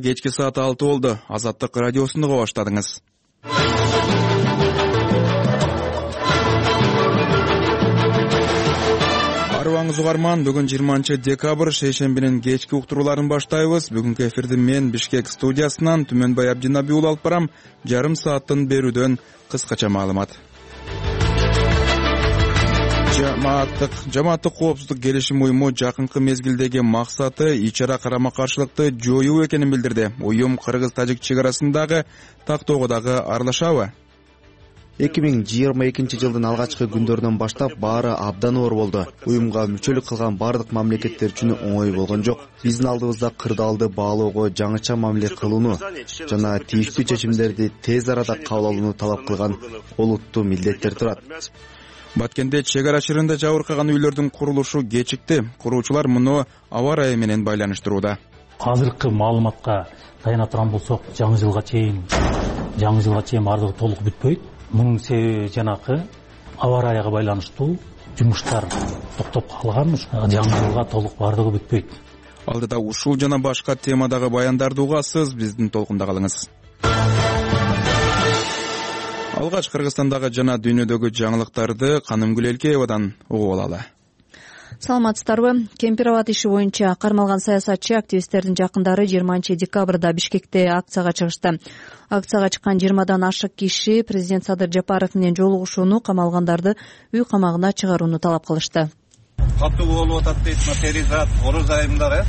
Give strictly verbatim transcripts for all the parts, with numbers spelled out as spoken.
Кечки саат алты болду. Азаттык радиосунду уга баштадыңыз. Арыбаңыз угарман, бүгүн жыйырманчы декабрь шейшембинин кечки уктурууларын баштайбыз. Бүгүнкү эфирди мен Бишкек студиясынан Түмөнбай Абдинаби уулу алып барам. Жарым сааттын берүүдөн кыскача маалымат. Жамааттык жамааттык коопсуздук келишим уюму жакынкы мезгилдеги максаты ич-ара карама-каршылыкты жоюу экенин билдирди. Уюм кыргыз-тажик чек арасындагы тактоого дагы аралашабы? эки миң жыйырма экинчи жылдын алгачкы күндөрүнөн баштап баары абдан оор болду. Уюмга мүчөлүк кылган бардык мамлекеттер үчүн оңой болгон жок. Биздин алдыбызда кырдаалды баалоого жаңыча мамиле кылууну жана тийиштүү чечимдерди тез арада кабыл алууну талап кылган олуттуу милдеттер турат. Баткенде чек ара шырында жабыркаган үйлөрдүн курулушу кечикти. Куруучулар муну аба ырайы менен байланыштырууда. Азыркы маалыматка таяна турган болсок, жаңы жылга чейин жаңы жылга чейин бардыгы толук бүтпөйт. Мунун себеби жанакы аба ырайыга байланыштуу жумуштар токтоп калган, жаңы жылга толук бардыгы бүтпөйт. Алдыда ушул жана башка темадагы баяндарды угасыз, биздин толкунда калыңыз. Алгач Кыргызстандагы жана дүйнөдөгү жаңылыктарды Каным Гүлелкеевадан угуп алалы. Саламатсыздарбы? Кемпир-абад иши боюнча кармалган саясатчы активисттердин жакындары жыйырманчы декабрда Бишкекте акцияга чыгышты. Акцияга чыккан жыйырмадан ашык киши президент Садыр Жапаров менен жолугушууну, камалгандарды үй камагына чыгарууну талап кылышты. Катуу болуп атат дейт, материалдат, ороз айымдар, э?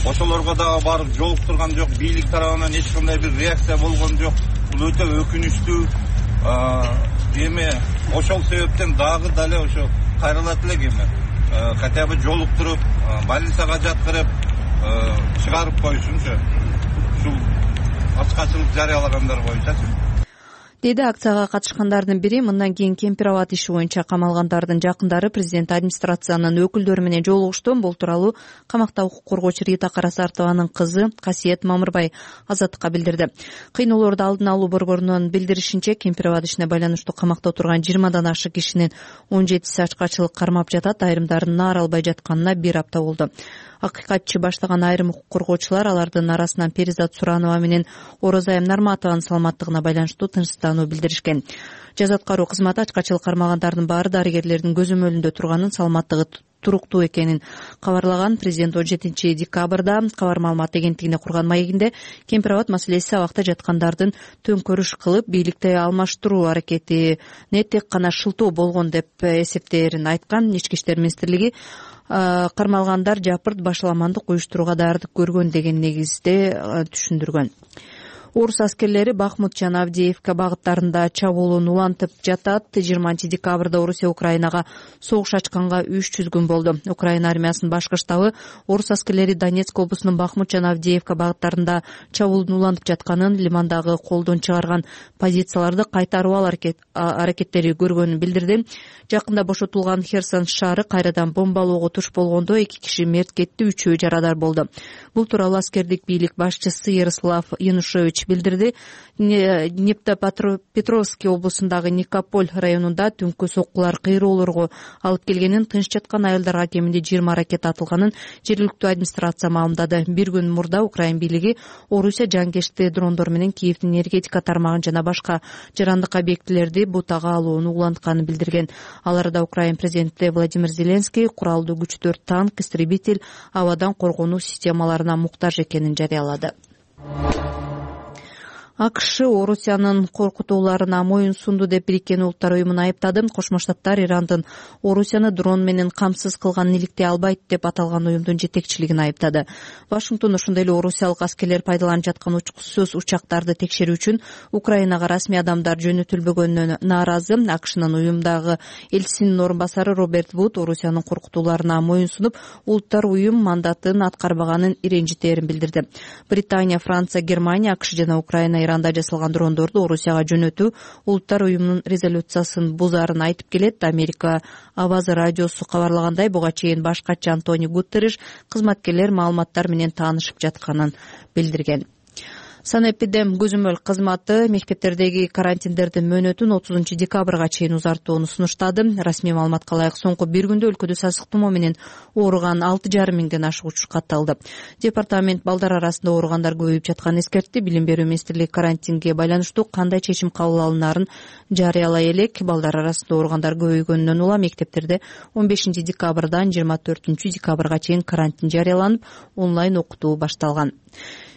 Ошолорго дагы барып жолуктурган жок, бийлик тарабынан эч кандай бир реакция болгон жок. Бул өтө өкүнүчтүү. Эми ошол себептен дагы дале ошо кайрылат элек эми. Хотя бы жолуктуруп, больницага жаткырып, чыгарып коюшунчу. Ушул ачкачылык жарыялагандар боюнчачы. Деди акцияга катышкандардын бири. Мындан кийин Кемпир-абад иши боюнча камалгандардын жакындары президент администрациянын өкүлдөрү менен жолугушту. Бул тууралуу камакта укук коргоочу Рита Карасартованын кызы Касиет Мамырбай Азаттыкка билдирди. Кыйноолорду алдын алуу борборунун билдиришинче, Кемпир-абад ишине байланыштуу камакта отурган жыйырмадан ашык кишинин он жетиси ачкачылык кармап жатат. Айрымдарын наар албай жатканына бир апта болду. Акыйкатчы баштаган айрым укук коргоочулар алардын арасынан Перизат Суранова менен Орозайым Нарматованын саламаттыгына байланыштуу тынчсыздануу билдиришкен. Жаза аткаруу кызматы ачкачылык кармагандардын баары дарыгерлердин көзөмөлүндө турганын, саламаттыгы туруктуу экенин кабарлаган. Президент он жетинчи декабрда кабар маалымат агенттигине курган маегинде Кемпир-абад маселеси абакта жаткандардын төңкөрүш кылып бийликти алмаштыруу аракетине тек гана шылтоо болгон деп эсептээрин айткан. Ички иштер министрлиги кармалгандар жапырт башаламандык уюштурууга даярдык көргөн деген негизде түшүндүргөн. Орус аскерлери Бахмут жана Авдеевка багыттарында чабуулун улантып жатат. жыйырманчы декабрда Орусия Украинага согуш ачканга үч жүз күн болду. Украина армиясынын башкы штабы орус аскерлери Донецк облусунун Бахмут жана Авдеевка багыттарында чабуулун улантып жатканын, лимандагы колдон чыгарган позицияларды кайтарып алуу аракеттери көргөнүн билдирди. Жакында бошотулган Херсон шаары кайрадан бомбалоого туш болгондо эки киши мерт кетти, үчөө жарадар болду. Бул тууралуу аскердик бийлик башчысы Ярослав Янушевич билдирди. Днепропетровский облусундагы Никополь районунда түнкү соккулар кыйроолорго алып келгенин, тынч жаткан аялдарга кеминде жыйырма ракет атылганын жергиликтүү администрация маалымдады. Бир күн мурда Украин бийлиги Орусия жангечти дрондор менен Киевдин энергетика тармагын жана башка жарандык объектилерди бутага алууну улантканын билдирген. Аларда Украин президенти Владимир Зеленский куралдуу күчтөр, танк, истребитель, абадан коргонуу системаларына муктаж экенин жарыялады. АКШ Орусиянын коркутууларына моюн сунду деп Бириккен Улуттар уюмун айыптады. Кошмо Штаттар Ирандын Орусияны дрон менен камсыз кылганын иликтей албайт деп аталган уюмдун жетекчилигин айыптады. Вашингтон ошондой эле орусиялык аскерлер пайдаланып жаткан учкусуз учактарды текшерүү үчүн Украинага расмий адамдар жөнөтүлбөгөнүнө нааразы. АКШнын уюмдагы элчисинин орун басары Роберт Вуд Орусиянын коркутууларына моюн сунуп, Улуттар уюм мандатын аткарбаганын иренжитээрин билдирди. Британия, Франция, Германия, АКШ жана Украина Иранда жасалган дрондорду Орусияга жөнөтүү Улуттар уюмунун резолюциясын бузаарын айтып келет. Америка Аваз радиосу кабарлагандай, буга чейин башкачы Антонио Гутерриш кызматкерлер маалыматтар менен таанышып жатканын билдирген. Санэпидем көзөмөл кызматы мектептердеги карантиндердин мөөнөтүн отузунчу декабрга чейин узартууну сунуштады. Расмий маалыматка ылайык соңку бир күндө өлкөдө сасык тумоо менен ооруган алты жарым миңден ашык учур катталды. Департамент балдар арасында ооругандар көбөйүп жатканын эскертти. Билим берүү министрлиги карантинге байланыштуу кандай чечим кабыл алынаарын жарыялай элек. Балдар арасында ооругандар көбөйгөнүнөн улам мектептерде он бешинчи декабрдан жыйырма төртүнчү декабрга чейин карантин жарыяланып, онлайн окутуу башталган.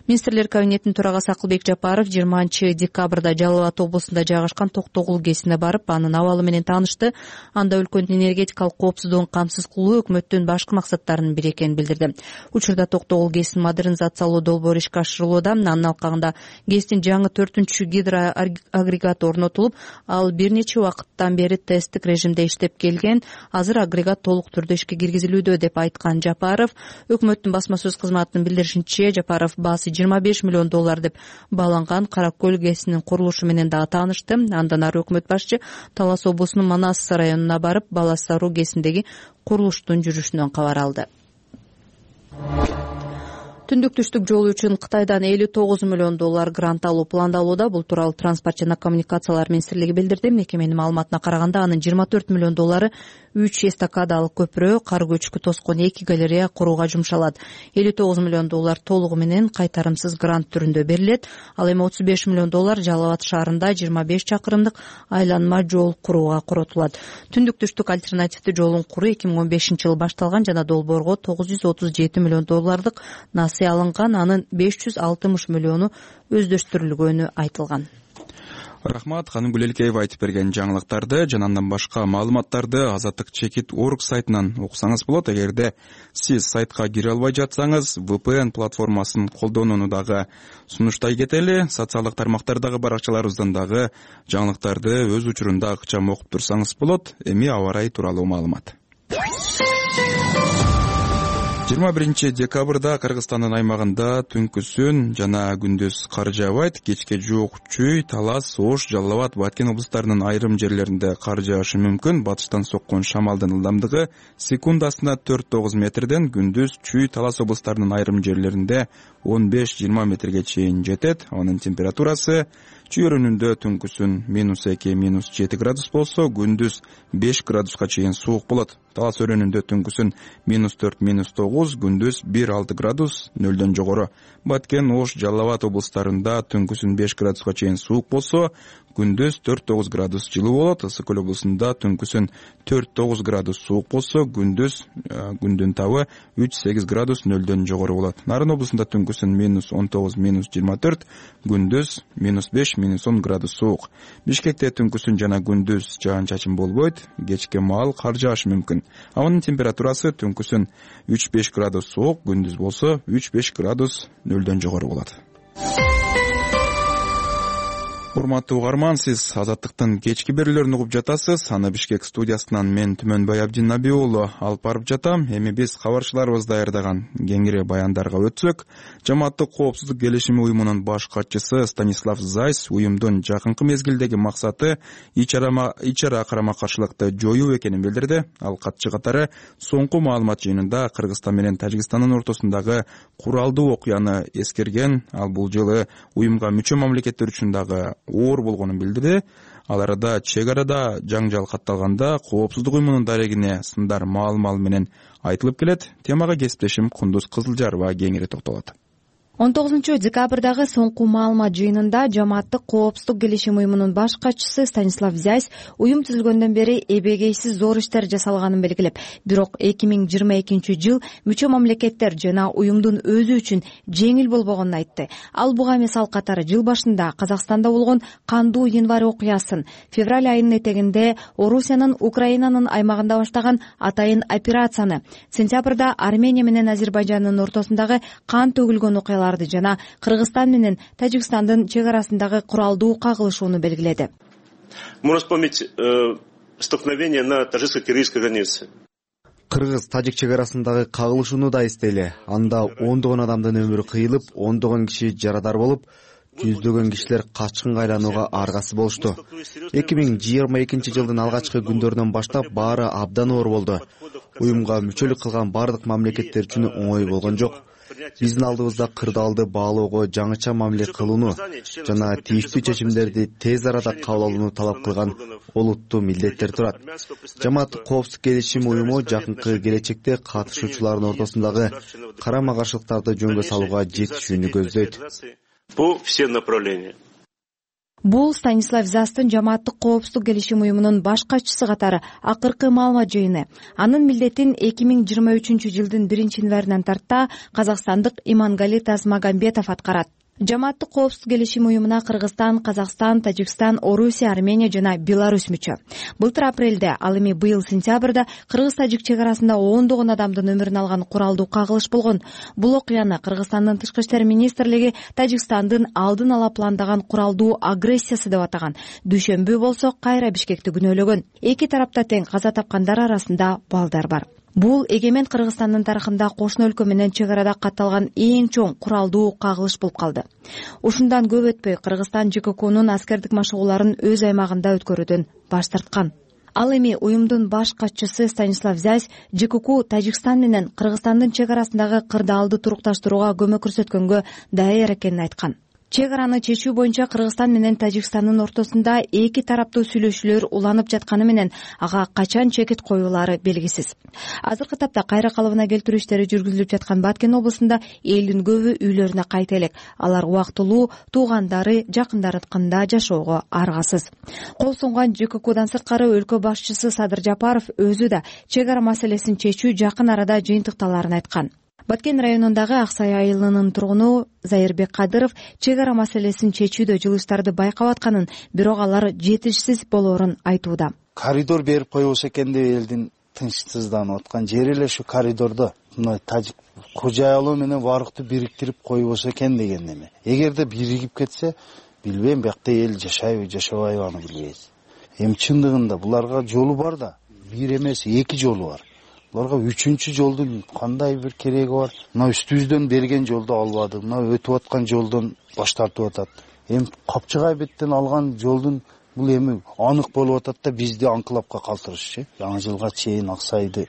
Министрлер кабинетинин төрагасы Акылбек Жапаров жыйырманчы декабрда Жалал Абад облусунда жайгашкан Токтогул ГЭСине барып, анын абалы менен таанышты. Анда өлкөнүн энергетикалык коопсуздугун камсыз кылуу өкмөттүн башкы максаттарынын бири экенин билдирди. Учурда Токтогул ГЭСин модернизациялоо долбоору ишке ашырылууда. Анын алкагында ГЭСтин жаңы төртүнчү гидроагрегаты орнотулуп, ал бир нече убакыттан бери тесттик режимде иштеп келген. Азыр агрегат толук түрдө ишке киргизилүүдө деп айткан Жапаров. Өкмөттүн басма сөз кызматынын билдиришинче, Жапаров баасы жыйырма беш миллион доллар деп бааланган Кара Көл ГЭСинин курулушу менен дагы таанышты. Андан ары өкмөт башчы Талас облусунун Манас районуна барып, Балас Саруу ГЭСиндеги курулуштун жүрүшүнөн кабар алды. Түндүк түштүк жолу үчүн Кытайдан элүү тогуз миллион доллар грант алуу пландалууда. Бул тууралуу Транспорт жана коммуникациялар министрлиги билдирди. Мекеменин маалыматына караганда, анын жыйырма төрт миллион доллары үч эстакадалык көпүрө, кар көчкү тоскон эки галерея курууга жумшалат. элүү тогуз миллион доллар толугу менен кайтарымсыз грант түрүндө берилет. Ал эми отуз беш миллион доллар Жалал Абад шаарында жыйырма беш чакырымдык айланма жол курууга коротулат. Түндүк түштүк альтернативдүү жолун куруу эки миң он бешинчи жылы башталган жана долбоорго тогуз жүз отуз жети миллион доллардык насыя алынган, анын беш жүз алтымыш миллиону өздөштүрүлгөнү айтылган. Рахмат, Ханым Гүлелкеева айтып берген жаңылыктарды жана андан башка маалыматтарды Азаттык чекит орг сайтынан окусаңыз болот. Эгерде сиз сайтка кире албай жатсаңыз, ви пи эн платформасын колдонууну дагы сунуштай кетели. Социалдык тармактардагы баракчаларыбыздан дагы жаңылыктарды өз учурунда ыкчам окуп турсаңыз болот. Эми аба ырайы тууралуу маалымат. жыйырма биринчи декабрда Кыргызстандын аймагында түнкүсүн жана күндүз кар жаабайт. Кечке жуук Чүй, Талас, Ош, Жалал Абад, Баткен облустарынын айрым жерлеринде кар жаашы мүмкүн. Батыштан соккон шамалдын ылдамдыгы секундасына төрт тогуз метрден, күндүз Чүй, Талас облустарынын айрым жерлеринде он беш жыйырма метрге чейин жетет. Анын температурасы Чүй өрүнүндө түнкүсүн минус эки минус жети градус болсо, күндүз беш градуска чейин суук болот. Талас өрүнүндө түнкүсүн минус төрт минус тогуз, күндүз бир алты градус, нөлдөн жогору. Баткен, Ош, Жалал Абад облустарында түнкүсүн беш градуска чейин суук болсо, күндүз төрт тогуз градус жылуу болот. Ысык Көл облусунда түнкүсүн төрт тогуз градус суук болсо, күндүз күндүн табы үч сегиз градус, нөлдөн жогору болот. Нарын облусунда түнкүсүн минус он тогуз минус жыйырма төрт, күндүз минус беш минус он градус суук. Бишкекте түнкүсүн жана күндүз жаан-чачын болбойт, кечке маал кар жаашы мүмкүн. Абанын температурасы түнкүсүн үч беш градус суук, күндүз болсо үч беш градус, нөлдөн жогору болот. Урматтуу угарман, сиз Азаттыктын кечки берүүлөрүн угуп жатасыз. Аны Бишкек студиясынан мен Түмөнбай Абдиннаби уулу алып барып жатам. Эми биз кабарчыларыбыз даярдаган кеңири баяндарга өтсөк, Жамааттык коопсуздук келишими уюмунун баш катчысы Станислав Зайс уюмдун жакынкы мезгилдеги максаты ичара карама-каршылыкты жоюу экенин билдирди. Ал катчы катары соңку маалымат жыйынында Кыргызстан менен Тажикстандын ортосундагы куралдуу окуяны эскерген. Ал бул жылы уюмга мүчө мамлекеттер үчүн дагы оор болгонун билдирди. Ал арада чек арада жаңжал катталганда коопсуздук уюмунун дарегине сындар маал-маал менен айтылып келет. Темага кесиптешим Кундуз Кызылжарова кеңири токтолот. он тогузунчу декабрдагы соңку маалымат жыйынында Жамааттык коопсуздук келишим уюмунун баш катчысы Станислав Зайс уюм түзүлгөндөн бери эбегейсиз зор иштер жасалганын белгилеп, бирок эки миң жыйырма экинчи жыл мүчө мамлекеттер жана уюмдун өзү үчүн жеңил болбогонун айтты. Ал буга мисал катары жыл башында Казакстанда болгон кандуу январь окуясын, февраль айынын этегинде Орусиянын Украинанын аймагында баштаган атайын операцияны, сентябрда Армения менен Азербайжандын ортосундагы кан төгүлгөн окуялар жана Кыргызстан менен Тажикстандын чек арасындагы куралдуу кагылышууну белгиледи. Можно вспомнить столкновение на таджикско-киргизской границе. Кыргыз-Тажик чек арасындагы кагылышууну да эстейли. Анда ондогон адамдын өмүрү кыйылып, ондогон киши жарадар болуп, жүздөгөн кишилер качкынга айланууга аргасы болушту. эки миң жыйырма экинчи жылдын алгачкы күндөрүнөн баштап баары абдан оор болду. Уюмга мүчөлүк кылган бардык мамлекеттер үчүн оңой болгон жок. биздин алдыбызда кырдаалды баалоого, жаңыча мамиле кылууну жана тийиштүү чечимдерди тез арада кабыл алууну талап кылган олуттуу милдеттер турат. Жамааттык коопсуздук келишим уюму жакынкы келечекте катышуучулардын ортосундагы карама каршылыктарды жөнгө салууга жетишүүнү көздөйт. По всем направлениям. Бул Станислав Застын жамааттык коопсуздук келишим уюмунун баш катчысы катары акыркы маалымат жыйыны. Анын милдетин эки миң жыйырма үчүнчү жылдын биринчи январынан тарта казакстандык Имангали Тасмагамбетов аткарат. Жамааттык коопсуздук келишим уюмуна Кыргызстан, Казакстан, Тажикстан, Орусия, Армения жана Беларусь мүчө. Былтыр апрелде, ал эми быйыл сентябрда Кыргыз-Тажик чек арасында ондогон адамдын өмүрүн алган куралдуу кагылыш болгон. Бул окуяны Кыргызстандын тышкы иштер министрлиги Тажикстандын алдын ала пландаган куралдуу агрессиясы деп атаган. Дүйшөмбү болсо кайра Бишкекти күнөөлөгөн. Эки тарапта тең каза тапкандар арасында балдар бар. Бул эгемен Кыргызстандын тарыхында кошуна өлкө менен чек арада катталган эң чоң куралдуу кагылыш болуп калды. Ушундан көп өтпөй Кыргызстан ЖККнун аскердик машыгууларын өз аймагында өткөрүүдөн баш тарткан. Ал эми уюмдун баш катчысы Станислав Зясь ЖКК Тажикстан менен Кыргызстандын чек арасындагы кырдаалды турукташтырууга көмөк көрсөткөнгө даяр экенин айткан. Чек араны чечүү боюнча Кыргызстан менен Тажикстандын ортосунда эки тараптуу сүйлөшүүлөр уланып жатканы менен ага качан чекит коюлары белгисиз. Азыркы тапта кайра калыбына келтирүү иштери жүргүзүлүп жаткан Баткен облусунда элдин көбү үйлөрүнө кайта элек. Алар убактылуу туугандары, жакындарыкында жашоого аргасыз. Кол сунган ЖККдан сырткары өлкө башчысы Садыр Жапаров өзү да чек ара маселесин чечүү жакын арада жыйынтыкталарын айткан. Баткен районундагы Аксай айылынын тургуну Зайырбек Кадыров чек ара маселесин чечүүдө жылыштарды байкап атканын, бирок алар жетишсиз болоорун айтууда. Коридор берип койбосо экен деп элдин тынчсызданып аткан жери эле ушу коридордо мына тажик кожоялоо менен барыкты бириктирип койбосо экен деген эме. Эгерде биригип кетсе, билбейм, биякта эл жашайбы, жашабайбы аны билбейбиз. Эми чындыгында буларга жолу бар да, бир эмес эки жолу бар. Буларга үчүнчү жолдун кандай бир кереги бар? Мына үстүбүздөн берген жолду албады, мына өтүп аткан жолдон баш тартып атат. Эми Капчыгай беттен алган жолдун бул эми анык болуп атат да бизди анкылапка калтырышчы. Жаңы жылга чейин Аксайды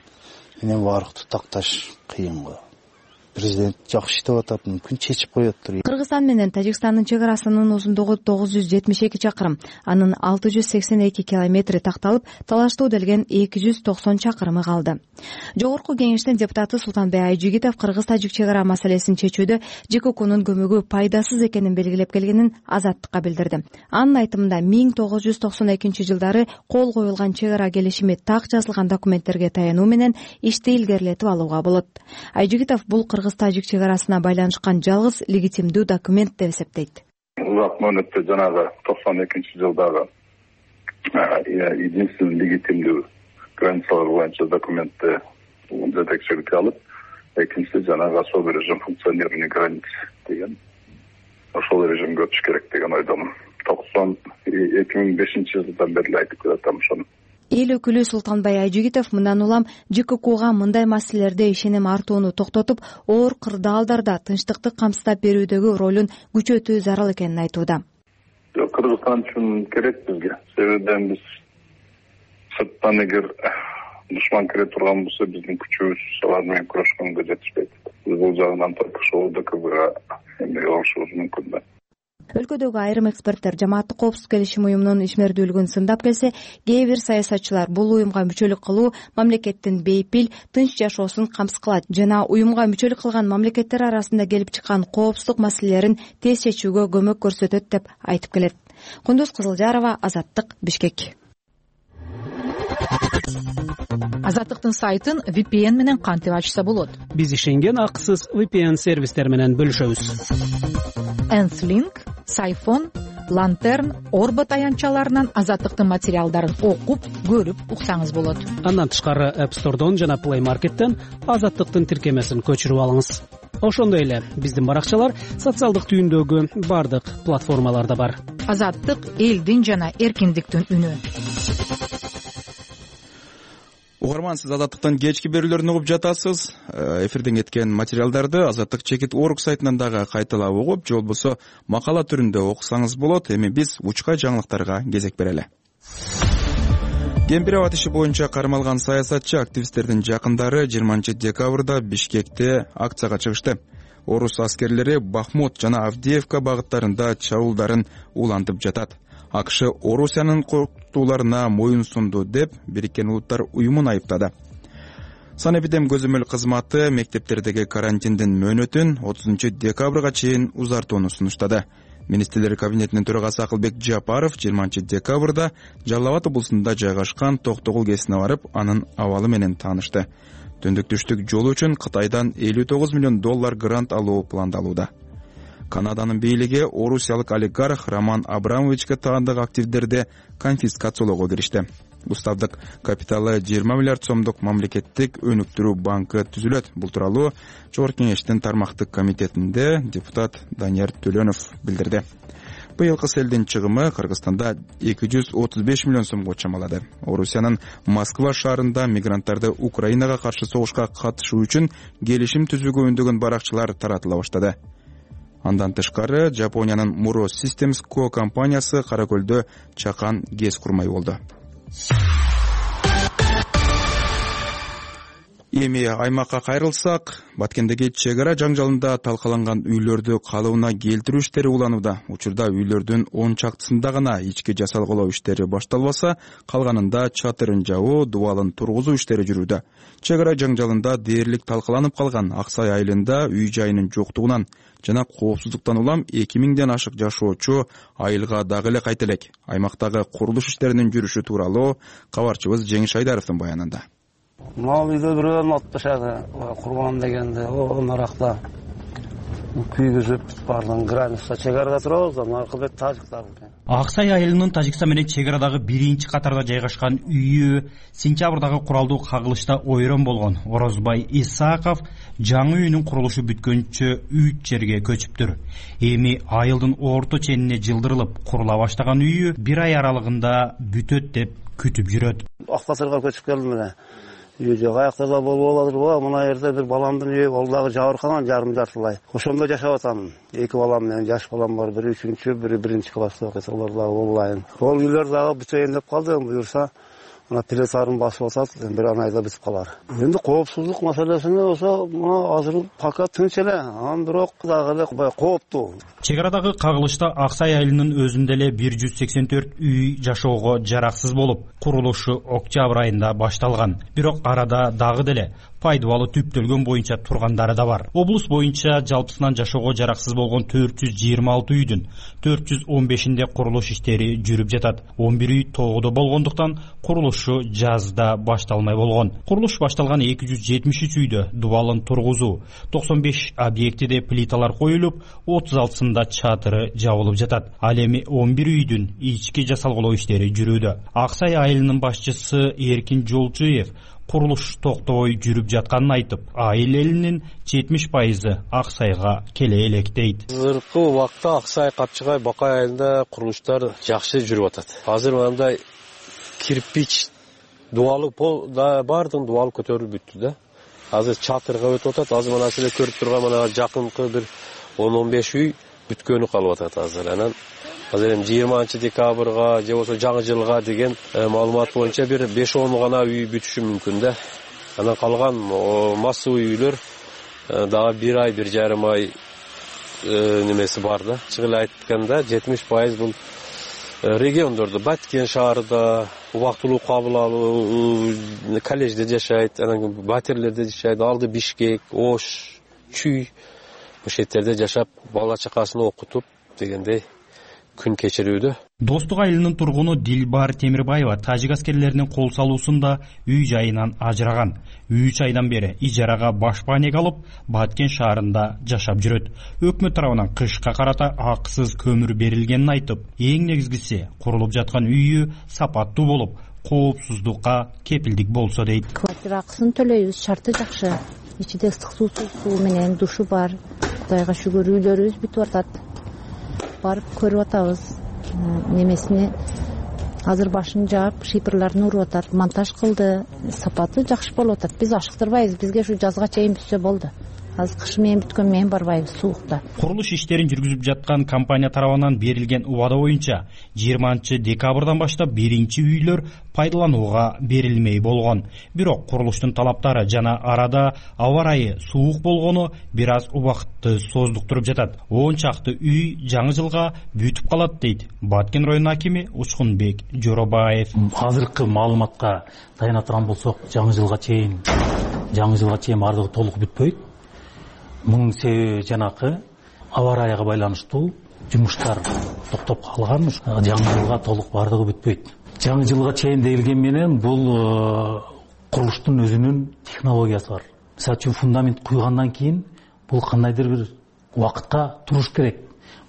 менен барыкты такташ кыйын го. Президент жакшы иштеп атат, мүмкүн чечип коёттур. Кыргызстан менен Тажикстандын чек арасынын узундугу тогуз жүз жетимиш эки чакырым, анын алты жүз сексен эки километри такталып, талаштуу делген эки жүз токсон чакырымы калды. Жогорку кеңештин депутаты Султанбек Айжигитов Кыргыз-Тажик чек ара маселесин чечүүдө ЖККнун көмөгү пайдасыз экенин белгилеп келгенин Азаттыкка билдирди. Анын айтымында миң тогуз жүз токсон экинчи жылдары кол коюлган чек ара келишими так жазылган документтерге таянуу менен ишти илгерилетип алууга болот. Айжигитов бул Кыргыз-Тажик чек арасына байланышкан жалгыз легитимдүү документ деп эсептейт. Узак мөөнөттө жанагы токсон экинчи жылдагы единственный легитимдүү границалар боюнча документти жетекчиликке алып, экинчиси жанагы особый режим функционирования границ деген ошол режимге өтүш керек деген ойдомун. токсон эки миң бешинчи жылдан бери айтып келатам ошону. Эл өкүлү Султанбай Айжигитов мындан улам ЖККга мындай маселелерде ишеним артууну токтотуп, оор кырдаалдарда тынчтыкты камсыздап берүүдөгү ролун күчөтүү зарыл экенин айтууда. Кыргызстан үчүн керек бизге. Себеби биз сырттан эгер душман кире турган болсо, биздин күчүбүз алар менен күрөшкөнгө жетишпейт. Биз бул жагынан только ошол ДКБга эме алышыбыз мүмкүн да. Өлкөдөгү айрым эксперттер жамааттык коопсуздук келишим уюмунун ишмердүүлүгүн сындап келсе, кээ бир саясатчылар бул уюмга мүчөлүк кылуу мамлекеттин бейпил, тынч жашоосун камсыз кылат жана уюмга мүчөлүк кылган мамлекеттер арасында келип чыккан коопсуздук маселелерин тез чечүүгө көмөк көрсөтөт деп айтып келет. Кундуз Кызылжарова, Азаттык, Бишкек. Азаттыктын сайтын ви пи эн менен кантип ачса болот? Биз ишенген акысыз ви пи эн сервистер менен бөлүшөбүз. Энслинк, Сайфон, Лантерн, Орбо таянчаларынан Азаттыктын материалдарын окуп, көрүп уксаңыз болот. Андан тышкары App Store'дон жана Play Market'тен Азаттыктын тиркемесин көчүрүп алыңыз. Ошондой эле биздин баракчалар социалдык түйүндөгү бардык платформаларда бар. Азаттык элдин жана эркиндиктин үнү. Угарман, сиз Азаттыктын кечки берүүлөрүн угуп жатасыз. Эфирден кеткен материалдарды Азаттык чекит точка орг сайтынан дагы кайталап угуп, же болбосо макала түрүндө окусаңыз болот. Эми биз учка жаңылыктарга кезек берели. Кемпир абад иши боюнча кармалган саясатчы активисттердин жакындары жыйырманчы декабрда Бишкекте акцияга чыгышты. орус аскерлери Бахмут жана Авдеевка багыттарында чабуулдарын улантып жатат. АКШ Орусиянын коркутууларына моюн сунду деп Бириккен Улуттар уюмун айыптады. Санэпидем көзөмөл кызматы мектептердеги карантиндин мөөнөтүн отузунчу декабрга чейин узартууну сунуштады. Министрлер кабинетинин төрагасы Акылбек Жапаров жыйырманчы декабрда Жалал Абад облусунда жайгашкан Токтогул КЭСине барып, анын абалы менен таанышты. Түндүк-түштүк жолу үчүн Кытайдан элүү тогуз миллион доллар грант алуу пландалууда. Канаданын бийлиги орусиялык олигарх Роман Абрамовичке таандык активдерди конфискациялоого киришти. Уставдык капиталы жыйырма миллиард сомдук мамлекеттик өнүктүрүү банкы түзүлөт. Бул тууралуу Жогорку Кеңештин тармактык комитетинде депутат Данияр Төлөнов билдирди. Быйылкы селдин чыгымы Кыргызстанда эки жүз отуз беш миллион сомго чамалады. Орусиянын Москва шаарында мигранттарды Украинага каршы согушка катышуу үчүн келишим түзүүгө үндөгөн баракчалар таратыла баштады. Андан тышкары Жапониянын Muro Systems Co компаниясы Кара Көлдө чакан ГЭС курмай болду. Эми аймакка кайрылсак, Баткендеги чек ара жаңжалында талкаланган үйлөрдү калыбына келтирүү иштери уланууда. Учурда үйлөрдүн он чактысында гана ички жасалгылоо иштери башталбаса, калганында чатырын жабуу, дубалын тургузуу иштери жүрүүдө. Чек ара жаңжалында дээрлик талкаланып калган Аксай айылында үй жайынын жоктугунан жана коопсуздуктан улам эки миңден ашык жашоочу айылга дагы эле кайта элек. Аймактагы курулуш иштеринин жүрүшү тууралуу кабарчыбыз Жеңиш Айдаровдун баянында. Мал үйдө бирөөнү атпашады, курбан дегенде, о наракта күйгүзүп бардын граница чек арада турабыз, аркы бет тажиктар. Аксай айылынын Тажикстан менен чек арадагы биринчи катарда жайгашкан үйү сентябрдагы куралдуу кагылышта ойрон болгон. Орозбай Исаков жаңы үйүнүн курулушу бүткөнчө үч жерге көчүптүр. Эми айылдын орто ченине жылдырылып курула баштаган үйү бир ай аралыгында бүтөт деп күтүп жүрөт. Актасырга көчүп келдим эле. Үйдө каяктарда болуп алатырбы? Мына жерде бир баламдын үйү, ал дагы жабыркаган жарым жартылай. Ошондо жашап атам. Эки балам менен жаш балам бар, бири үчүнчү, бири биринчи класста окуйт. Алар дагы онлайн. Ол үйлөр дагы бүтөйүн деп калды, буюрса мына телесарын басып атат, бир айда бүтүп калар. Эми коопсуздук маселесине болсо, мына азыр пока тынч эле, анан бирок дагы эле кооптуу. Чек арадагы кагылышта Аксай айылынын өзүндө эле бир жүз сексен төрт үй жашоого жараксыз болуп, курулушу октябрь айында башталган. Бирок арада дагы деле пайдалуу түптөлгөн боюнча тургандары да бар. Облус боюнча жалпысынан жашоого жараксыз болгон төрт жүз жыйырма алты үйдүн төрт жүз он бешинде курулуш иштери жүрүп жатат. он бир үй тоодо болгондуктан курулушу жазда башталмай болгон. Курулуш башталган эки жүз жетимиш үч үйдө дубалын тургузуу, токсон беш объектиде плиталар коюлуп, отуз алтысында чатыры жабылып жатат. Ал эми он бир үйдүн ички жасалгылоо иштери жүрүүдө. Аксай айылынын башчысы Эркин Жолчуев курулуш токтобой жүрүп жатканын айтып, айыл элинин жетимиш пайызы Аксайга келе элек дейт. Азыркы убакта Аксай, Капчыгай, Бакай айылында курулуштар жакшы жүрүп атат. Азыр мындай кирпич дубалы пол да бардын, дубал көтөрүлүп бүттү да. Азыр чатырга өтүп атат. Азыр мына силер көрүп турган мына жакынкы бир он он беш үй бүткөнү калып атат азыр. Анан азыр эми жыйырманчы декабрга же болбосо жаңы жылга деген маалымат боюнча бир беш он гана үй бүтүшү мүмкүн да. Анан калган массовый үйлөр дагы бир ай, бир жарым ай немеси бар да. Чыгып айтканда жетимиш пайыз бул региондордо, Баткен шаарында убактылуу кабыл алуу, коллежде жашайт, анан батирлерде жашайт, алды Бишкек, Ош, Чүй ошеттерде жашап, бала чакасын окутуп дегендей күн кечирүүдө. Достук айылынын тургуну Дилбар Темирбаева тажик аскерлеринин кол салуусунда үй жайынан ажыраган. үч айдан бери ижарага башпанек алып, Баткен шаарында жашап жүрөт. Өкмөт тарабынан кышка карата акысыз көмүр берилгенин айтып, эң негизгиси курулуп жаткан үйү сапаттуу болуп, коопсуздукка кепилдик болсо дейт. Квартира акысын төлөйбүз, шарты жакшы. Ичиде ысык суу менен душу бар. Кудайга шүгүр, үйлөрүбүз бүтүп атат. Барып көрүп атабыз. Немесине азыр башын жаап, шипрларын уруп атат, монтаж кылды. Сапаты жакшы болуп атат. Биз ашыктырбайбыз. Бизге ушу жазга чейин бүтсө болду. азыр кыш менен бүткөн менен барбайбыз суукта. Курулуш иштерин жүргүзүп жаткан компания тарабынан берилген убада боюнча жыйырманчы декабрдан баштап биринчи үйлөр пайдаланууга берилмей болгон. Бирок курулуштун талаптары жана арада аба ырайы суук болгону бир аз убакытты создуктуруп жатат. он чакты үй жаңы жылга бүтүп калат дейт Баткен районунун акими Учкунбек Жоробаев. Азыркы маалыматка таяна турган болсок, жаңы жылга чейин жаңы жылга чейин бардыгы толук бүтпөйт. Мунун себеби жанакы аба ырайга байланыштуу жумуштар токтоп калган. Жаңы жылга толук бардыгы бүтпөйт. Жаңы жылга чейин дегилген менен бул курулуштун өзүнүн технологиясы бар. Мисалы үчүн фундамент куйгандан кийин бул кандайдыр бир убакытка туруш керек.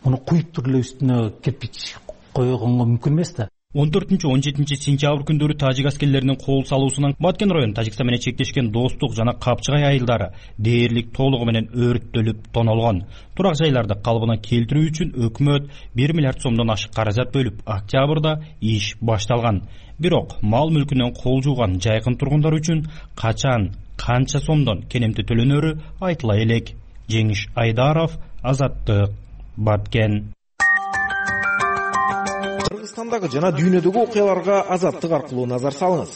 Муну куюп туруп эле үстүнө кирпич койгонго мүмкүн эмес да. он төртүнчү он жетинчи сентябрь күндөрү тажик аскерлеринин кол салуусунан Баткен району Тажикстан менен чектешкен Достук жана Капчыгай айылдары дээрлик толугу менен өрттөлүп тонолгон. Турак жайларды калыбына келтирүү үчүн өкмөт бир миллиард сомдон ашык каражат бөлүп, октябрда иш башталган. Бирок мал мүлкүнөн кол жууган жайкын тургундар үчүн качан, канча сомдон кенемти төлөнөрү айтыла элек. Жеңиш Айдаров, Азаттык, Баткен. Кыргызстандагы жана дүйнөдөгү окуяларга Азаттык аркылуу назар салыңыз.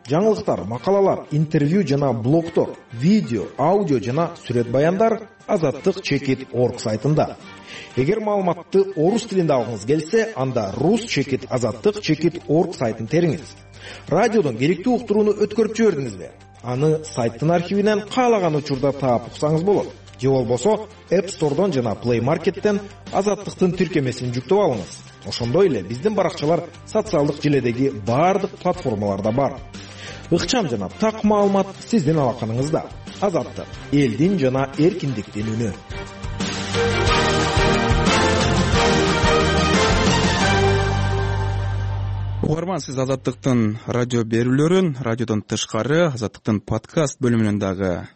Жаңылыктар, макалалар, интервью жана блогтор, видео, аудио жана сүрөт баяндар азаттык чекит точка орг сайтында. Эгер маалыматты орус тилинде алгыңыз келсе, анда рус чекит азаттык чекит точка орг сайтын териңиз. Радиодон керектүү уктурууну өткөрүп жибердиңизби? Аны сайттын архивинен каалаган учурда таап уксаңыз болот. Же болбосо App Store'дон жана Play Market'тен азаттыктын тиркемесин жүктөп алыңыз. Ошондой эле биздин баракчалар социалдык желедеги баардык платформаларда бар. Ыкчам жана так маалымат сиздин алаканыңызда. Азаттык, элдин жана эркиндиктин үнү. Угарман, сиз Азаттыктын радио берүүлөрүн радиодон тышкары Азаттыктын подкаст бөлүмүнөн дагы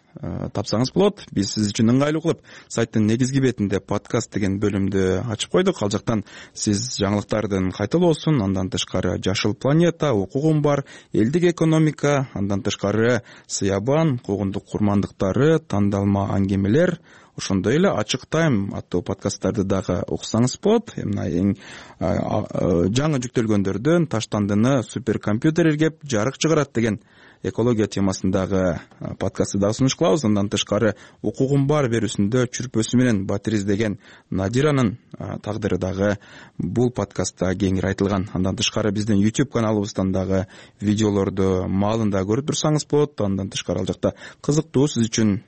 тапсаңыз болот. Биз сиз үчүн ыңгайлуу кылып сайттын негизги бетинде подкаст деген бөлүмдү ачып койдук. Ал жактан сиз жаңылыктардын кайталоосун, андан тышкары Жашыл планета, Укугум бар, Элдик экономика, андан тышкары Сыябан, Куугундук курмандыктары, Тандалма аңгемелер, ошондой эле Ачык тайм аттуу подкасттарды дагы уксаңыз болот. Мына эң жаңы жүктөлгөндөрдөн Таштандыны суперкомпьютер иргеп жарык чыгарат деген экология темасындагы подкастты дагы сунуш кылабыз. Андан тышкары Укугум бар берүүсүндө чүрпөсү менен батир издеген Надиранын тагдыры дагы бул подкастта кеңири айтылган. Андан тышкары биздин YouTube каналыбыздан дагы видеолорду маалында көрүп турсаңыз болот. Андан тышкары ал жакта кызыктуу сиз үчүн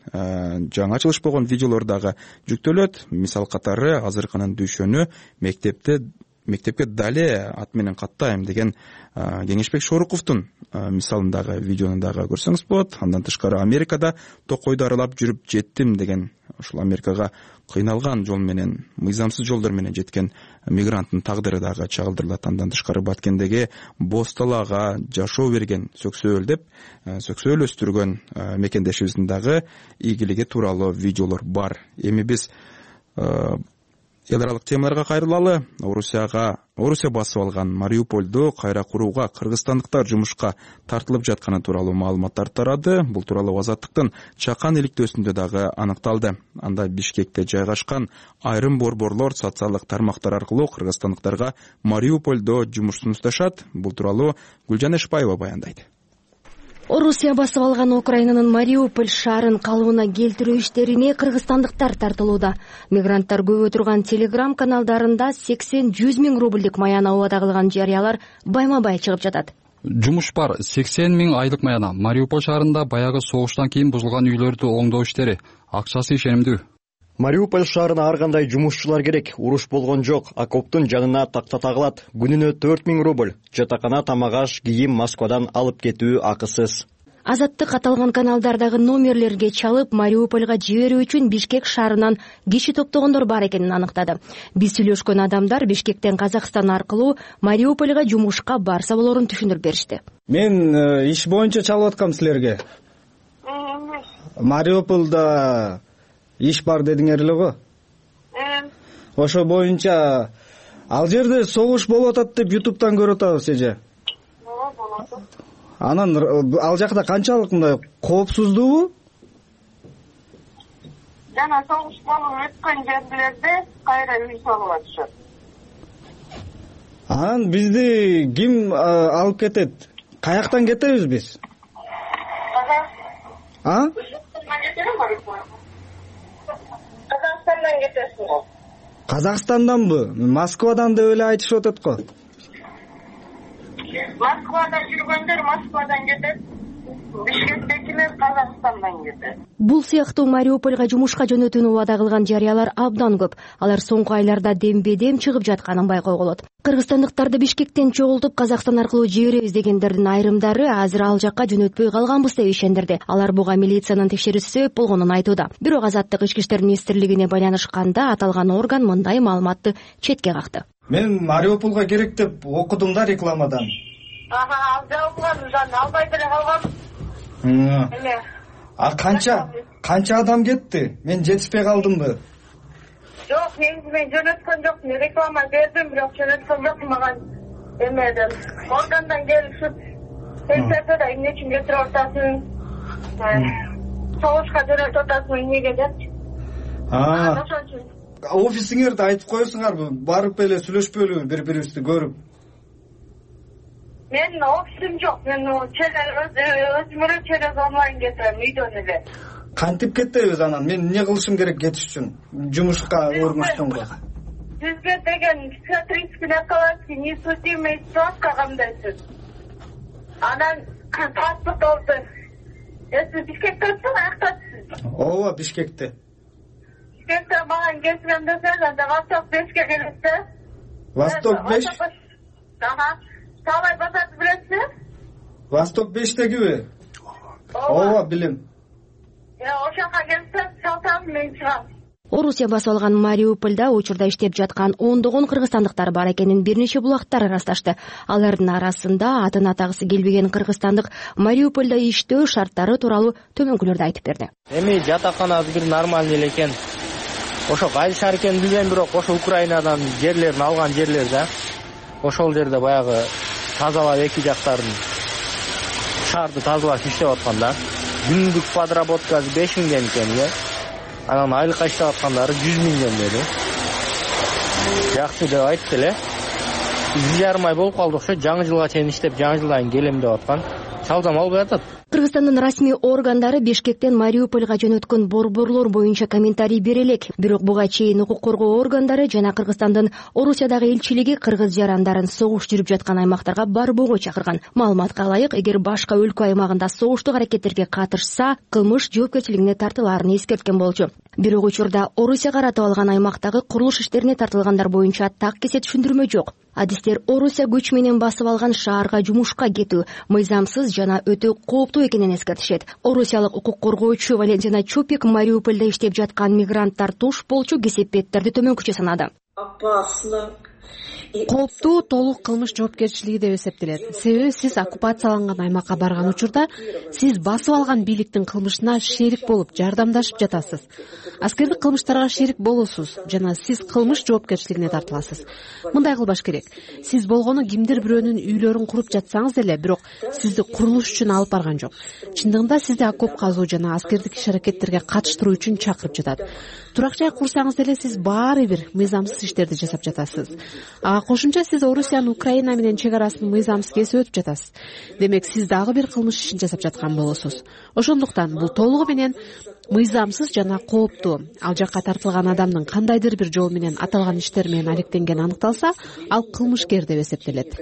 жаңы ачылыш болгон видеолор дагы жүктөлөт. Мисал катары азыркынын дүйшөнү мектепте мектепке дале ат менен каттайм деген Кеңешбек Шоруковдун мисалындагы видеону дагы көрсөңүз болот. Андан тышкары Америкада токойду аралап жүрүп жеттим деген, ушул Америкага кыйналган жол менен, мыйзамсыз жолдор менен жеткен мигранттын тагдыры дагы чагылдырылат. Андан тышкары Баткендеги боз талаага жашоо берген Сөксөөл деп Сөксөөл өстүргөн мекендешибиздин дагы ийгилиги тууралуу видеолор бар. Эми биз эл аралык темаларга кайрылалы. Орусияга Орусия басып алган Мариупольду кайра курууга кыргызстандыктар жумушка тартылып жатканы тууралуу маалыматтар тарады. Бул тууралуу Азаттыктын чакан иликтөөсүндө дагы аныкталды. Анда Бишкекте жайгашкан айрым борборлор социалдык тармактар аркылуу кыргызстандыктарга Мариупольдо жумуш сунушташат. Бул тууралуу Гүлжан Эшпаева баяндайт. Орусия басып алган Украинанын Мариуполь шаарын калыбына келтирүү иштерине кыргызстандыктар тартылууда. Мигранттар көп отурган телеграм каналдарында сексен жүз миң рубльдик маяна убада кылган жарыялар байма-бай чыгып жатат. Жумуш бар сексен миң айлык маяна. Мариуполь шаарында баягы согуштан кийин бузулган үйлөрдү оңдоо иштери. Акчасы ишенимдүү. Мариуполь шаарына ар кандай жумушчулар керек. Уруш болгон жок. Окоптун жанына такта тагылат. Күнүнө төрт миң рубль. Жатакана, тамак-аш, кийим Москвадан алып кетүү акысыз. Азаттык аталган каналдардагы номерлерге чалып Мариупольга жиберүү үчүн Бишкек шаарынан киши топтогондор бар экенин аныктады. Биз сүйлөшкөн адамдар Бишкектен Казакстан аркылуу Мариупольга жумушка барса болорун түшүндүрүп беришти. Мен иш боюнча чалып аткам силерге. Мариупольда иш бар дедиңер эле го? Ошо боюнча ал жерде согуш болуп атат деп ютубтан көрүп атабыз эже. Анан ал жакта канчалык мындай коопсуздуубу? жана согуш болуп өткөн жерлерде кайра үй салып атышат. Анан бизди ким алып кетет? Каяктан кетебиз биз? А? Казакстандан кетесиз го. Казакстанданбы? Москвадан деп эле айтышып атат го. Москвада жүргөндөр Москвадан кетет. Бишкектекилер Казакстандан кетет. Бул сыяктуу Мариупольго жумушка жөнөтүүнү убада кылган жарыялар абдан көп. Алар соңку айларда дембе-дем чыгып жатканын байкоого болот. Кыргызстандыктарды Бишкектен чогултуп Казакстан аркылуу жиберебиз дегендердин айрымдары азыр ал жакка жөнөтпөй калганбыз деп ишендирди. Алар буга милициянын текшерүүсү себеп болгонун айтууда. Бирок Азаттык Ички иштер министрлигине байланышканда аталган орган мындай маалыматты четке какты. Мен Мариуполга керек деп окудум да рекламадан. Ага, ал жабылган, жана албай деле калгам. Эме. А канча канча адам кетти? Мен жетишпей калдымбы? Жок, негизи мен жөнөткөн жокмун. Реклама бердим, бирок жөнөткөн жокмун. Мага эмеден органдан келишип, текшерди да эмне үчүн кетирип атасың? Согушка жөнөтүп атасың эмнеге деп. А, ошон үчүн. Офисиңерди айтып коесуңарбы? Барып эле сүйлөшпөйлүбү бири-бирибизди көрүп? Мен офисим жок. Мен өзүмө через онлайн кетем, үйдөн эле. Кантип кетебиз анан? Мен эмне кылышым керек кетиш үчүн? Жумушка өрмүштүмгө. Сизге деген психиатрический накладки, несудимый справка кандайсыз? Анан паспорт алды. Эсиз Бишкектесиз, аяктасыз? Ооба, Бишкекте. Бишкекте мага келсем десеңиз, анда Восток бешке келесиз. Восток беш? Ага. Салай базарды билесиз? Восток бештегиби? Ооба, билем. Ошока келсем, сатам, мен чыгам. Орусия басып алган Мариупольда учурда иштеп жаткан ондогон кыргызстандыктар бар экенин бир нече булактар ырасташты. Алардын арасында атын атагысы келбеген кыргызстандык Мариупольда иштөө шарттары тууралуу төмөнкүлөрдү айтып берди. Эми жатаканасы бир нормальный эле экен. Ошо кайсы экенин билбейм, бирок ошо Украинадан жерлерин алган жерлер да. Ошол жерде баягы тазалап эки жактарын шаарды тазалап иштеп аткан да. Күндүк подработкасы беш миңден экен эле. Анан айлыкка иштеп аткандары жүз миңден бери. Жакшы деп айтты эле. бир жарым ай болуп калды ошо, жаңы жылга чейин иштеп, жаңы жылдан келем деп аткан. Саудам албай атат. Кыргызстандын расмий органдары Бишкектен Мариупольга жөнөткөн борборлор боюнча комментарий бере элек. Бирок буга чейин укук коргоо органдары жана Кыргызстандын Орусиядагы элчилиги кыргыз жарандарын согуш жүрүп жаткан аймактарга барбоого чакырган. Маалыматка ылайык, эгер башка өлкө аймагында согуштук аракеттерге катышса, кылмыш жоопкерчилигине тартылаарын эскерткен болчу. Бирок учурда Орусия каратып алган аймактагы курулуш иштерине тартылгандар боюнча так кесе түшүндүрмө жок. Адистер Орусия күч менен басып алган шаарга жумушка кетүү мыйзамсыз жана өтө кооптуу экенин эскертишет. Орусиялык укук коргоочу Валентина Чупик Мариупольда иштеп жаткан мигранттар туш болчу кесепеттерди төмөнкүчө санады. Кооптуу толук кылмыш жоопкерчилиги деп эсептелет. Себеби сиз оккупацияланган аймакка барган учурда сиз басып алган бийликтин кылмышына шерик болуп, жардамдашып жатасыз. Аскердик кылмыштарга шерик болосуз жана сиз кылмыш жоопкерчилигине тартыласыз. Мындай кылбаш керек. Сиз болгону кимдир бирөөнүн үйлөрүн куруп жатсаңыз деле, бирок сизди курулуш үчүн алып барган жок. Чындыгында сизди окоп казуу жана аскердик иш-аракеттерге катыштыруу үчүн чакырып жатат. Турак жай курсаңыз деле сиз баары бир мыйзамсыз иштерди жасап жатасыз. Ага кошумча сиз Орусиянын Украина менен чек арасын мыйзамсыз кесип өтүп жатасыз. Демек сиз дагы бир кылмыш ишин жасап жаткан болосуз. Ошондуктан бул толугу менен мыйзамсыз жана кооптуу. Ал жакка тартылган адамдын кандайдыр бир жол менен аталган иштер менен алектенгени аныкталса, ал кылмышкер деп эсептелет.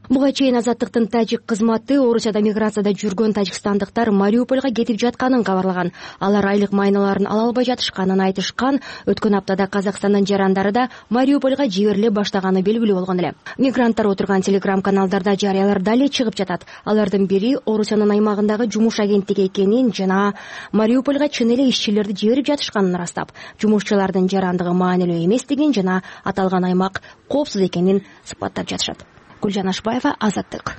Буга чейин Азаттыктын тажик кызматы Орусияда миграцияда жүргөн тажикстандыктар Мариупольга кетип жатканын кабарлаган. Алар айлык майналарын ала албай жатышканын айтышкан. Өткөн аптада Казакстандын жарандары да Мариупольга жибериле баштаганы белгилүү болгон эле. Мигранттар отурган телеграм-каналдарда жарыялар дале чыгып жатат. Алардын бири Орусиянын аймагындагы жумуш агенттиги экенин жана Мариупольга чын эле ишчилерди жиберип жатышканын ырастап, жумушчулардын жарандыгы маанилүү эместигин жана аталган аймак коопсуз экенин сыпаттап жатышат. Гүлжан Ашбаева, Азаттык.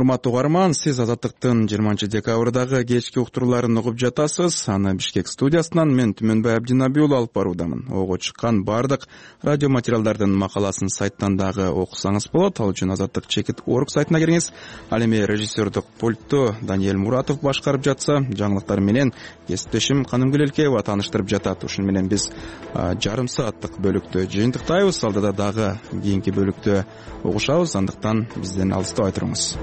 урматтуу угарман, сиз Азаттыктын жыйырманчы декабрдагы кечки уктурууларын угуп жатасыз. Аны Бишкек студиясынан мен Түмөнбай Абдинабий уулу алып баруудамын. Ого чыккан бардык радио материалдардын макаласын сайттан дагы окусаңыз болот. Ал үчүн Азаттык чекит орг сайтына кириңиз. Ал эми режиссердук пультту Даниэль Муратов башкарып жатса, жаңылыктар менен кесиптешим Канымгүл Элкеева тааныштырып жатат. Ушуну менен биз жарым сааттык бөлүктү жыйынтыктайбыз. Алдыда дагы кийинки бөлүктү угушабыз. Андыктан бизден алыстабай туруңуз.